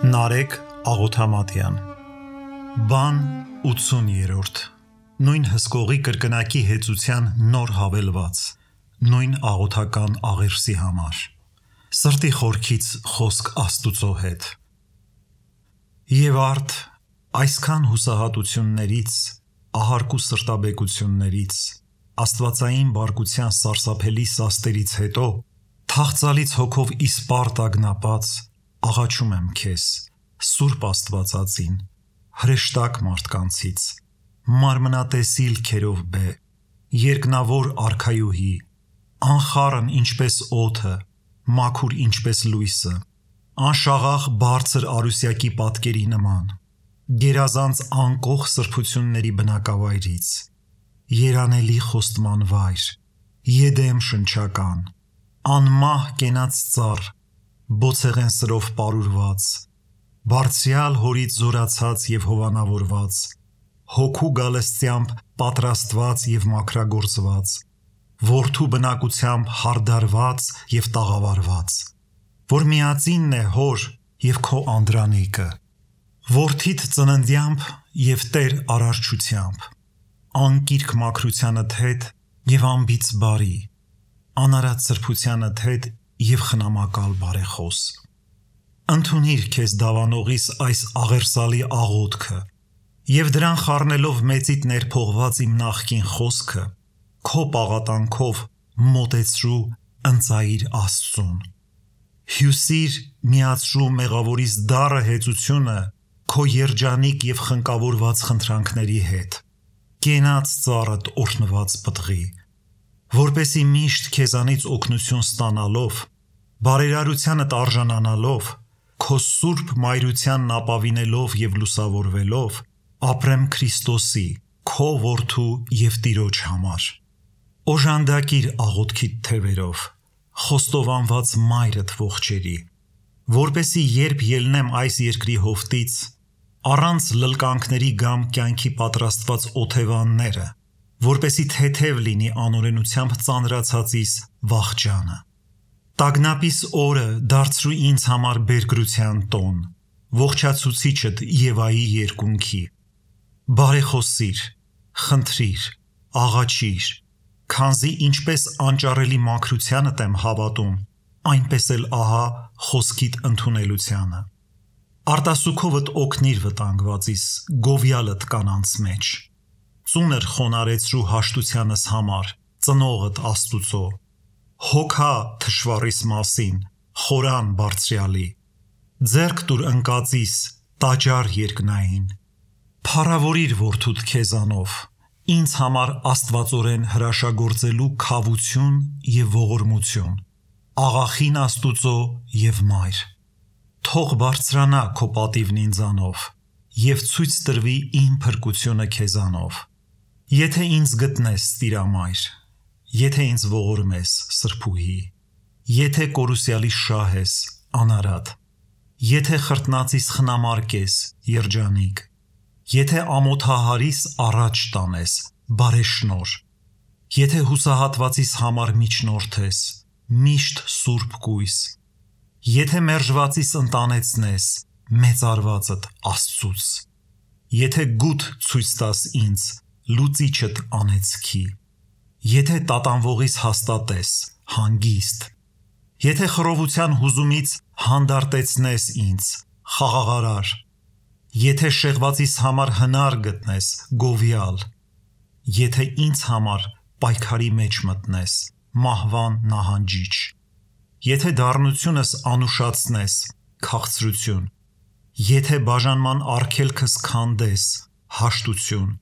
Նարեկ Աղոթամատյան Բան 80-րդ Նույն հսկողի կրկնակի հեծության նոր հավելված Նույն աղոթական աղերսի համար Սրտի խորքից խոսք Աստուծո հետ Եվ արդ այսքան հուսահատություններից ահարկու սրտաբեկություններից աստվածային բարկության սարսափելի սաստերից հետո թախծալից հոգով իսպառ տագնապած աղաչում եմ քեզ Սուրբ Աստվածածին հրեշտակ մարդկանցից մարմնատեսիլ քերով բե երկնավոր արքայուհի անխառն ինչպես օդը մաքուր ինչպես լույսը անշաղախ բարձր արուսյակի պատկերի նման գերազանց անկող սրբությունների բնակավայրից երանելի խոստման վայր Եդեմ շնչական անմահ կենաց ծառ բոցեղեն սրով պարուրված բարձրյալ հորից զորացած եւ հովանավորված հոգու գալստյամբ պատրաստված եւ մաքրագործված որդու բնակությամբ հարդարված եւ տաղավարված որ միածինն է հոր եւ քո անդրանիկը որդիդ ծննդյամբ եւ Տեր արարչությամբ անկիրք մաքրությանդ հետ եւ անբիծ բարի անարատ սրբությանդ հետ եւ խնամակալ բարեխոս ընդունիր քեզ դավանողիս այս աղերսալի աղոթքը եւ դրան խառնելով մեծիդ ներփողված իմ նախկին խոսքը քո պաղատանքով մոտեցրու ընծայիր Աստծուն հյուսիր միացրու մեղավորիս դառը հեծությունը քո երջանիկ եւ խնկավորված խնդրանքների հետ կենաց ծառդ օրհնված պտղի որպեսի միշտ քեզանից օգնություն ստանալով բարերարությանդ արժանանալով քո սուրբ մայրությանն ապավինելով եւ լուսավորվելով ապրեմ Քրիստոսի քո որդու եւ Տիրոջ համար օժանդակիր աղոթքիդ թևերով խոստովանված մայրդ ողջերի որպեսի երբ ելնեմ այս երկրի հովտից առանց լլկանքների գամ կյանքի պատրաստված օթևանները որպեսի թեթև լինի անօրենությամբ ծանրացածիս վախճանը Տագնապիս օրը դարձրու ինձ համար բերգրության տոն ողջացուցիչդ Եվայի երկունքի բարեխոսիր խնդրիր աղաչիր քանզի ինչպես անճարելի մաքրությանդ եմ հավատում այնպես էլ ահա խոսքիդ ընդունելությանը արտասուքովդ օգնիր վտանգվածիս գովյալդ կանանց մեջ ծուներ խոնարեցրու հաշտությանս համար ծնողդ Աստուծո հոգա թշվառիս մասին խորան բարձրյալի ձեռք տուր ընկածիս տաճար երկնային փառավորիր որդուդ քեզանով ինձ համար աստվածորեն հրաշագործելու քավություն եւ ողորմություն աղախին Աստուծո եւ մայր թող բարձրանա քո պատիվն ինձանով եւ ցույց տրվի իմ փրկությունը քեզանով եթե ինձ գտնես Տիրամայր եթե ինձ ողորմես սրբուհի եթե կորուսյալի շահես անարատ եթե խրտնածիս խնամարկես երջանիկ եթե ամոթահարիս առաջ տանես բարեշնոր եթե հուսահատվածիս համար միջնորդես միշտ սուրբ կույս եթե մերժվածիս ընտանեցնես մեծարվածդ Աստծուց եթե գութ ցույց տաս ինձ լուծիչդ անեծքի Եթե տատանվողիս հաստատես հանգիստ Եթե խռովության հուզումից հանդարտեցնես ինձ խաղաղարար Եթե շեղվածիս համար հնար գտնես գովյալ Եթե ինձ համար պայքարի մեջ մտնես մահվան նահանջիչ Եթե դառնությունս անուշացնես քաղցրություն Եթե բաժանման արգելքս քանդես հաշտություն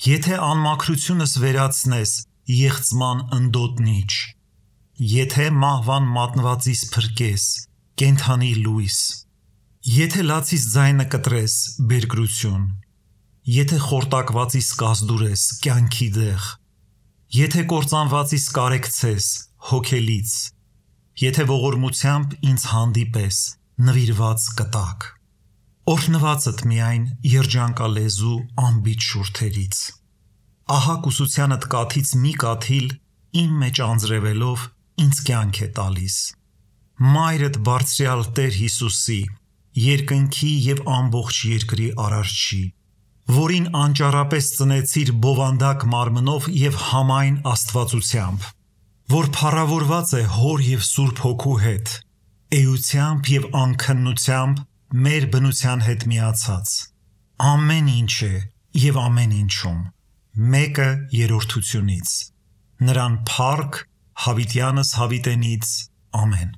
Եթե անմաքրությունս վերացնես Եղծման ընդոտնիչ Եթե մահվան մատնվածիս փրկես կենթանի լույս Եթե լացիս ձայնը կտրես բերգրություն Եթե խորտակվածիս կազդուրես կյանքի դեղ Եթե կործանվածիս կարեկցես հոգելից Եթե ողորմությամբ ինձ հանդիպես նվիրված կտակ Օրհնվածդ միայն երջանկալեզու անբիջ շուրթերից Ահա կուսությանդ կաթից մի կաթիլ իմ մեջ անձրևելով ինձ կյանք է տալիս Մայրդ բարձրյալ Տեր Հիսուսի երկնքի և ամբողջ երկրի արարչի, որին անճարապես ծնեցիր բովանդակ մարմնով և համայն աստվածությամբ, որ փառավորված է Հոր և Սուրբ Հոգու հետ, էությամբ և անքննությամբ մեր բնության հետ միացած, ամեն ինչ է և ամեն ինչում, մեկը երրորդությունից, նրան փառք հավիտյանս հավիտենից, ամեն։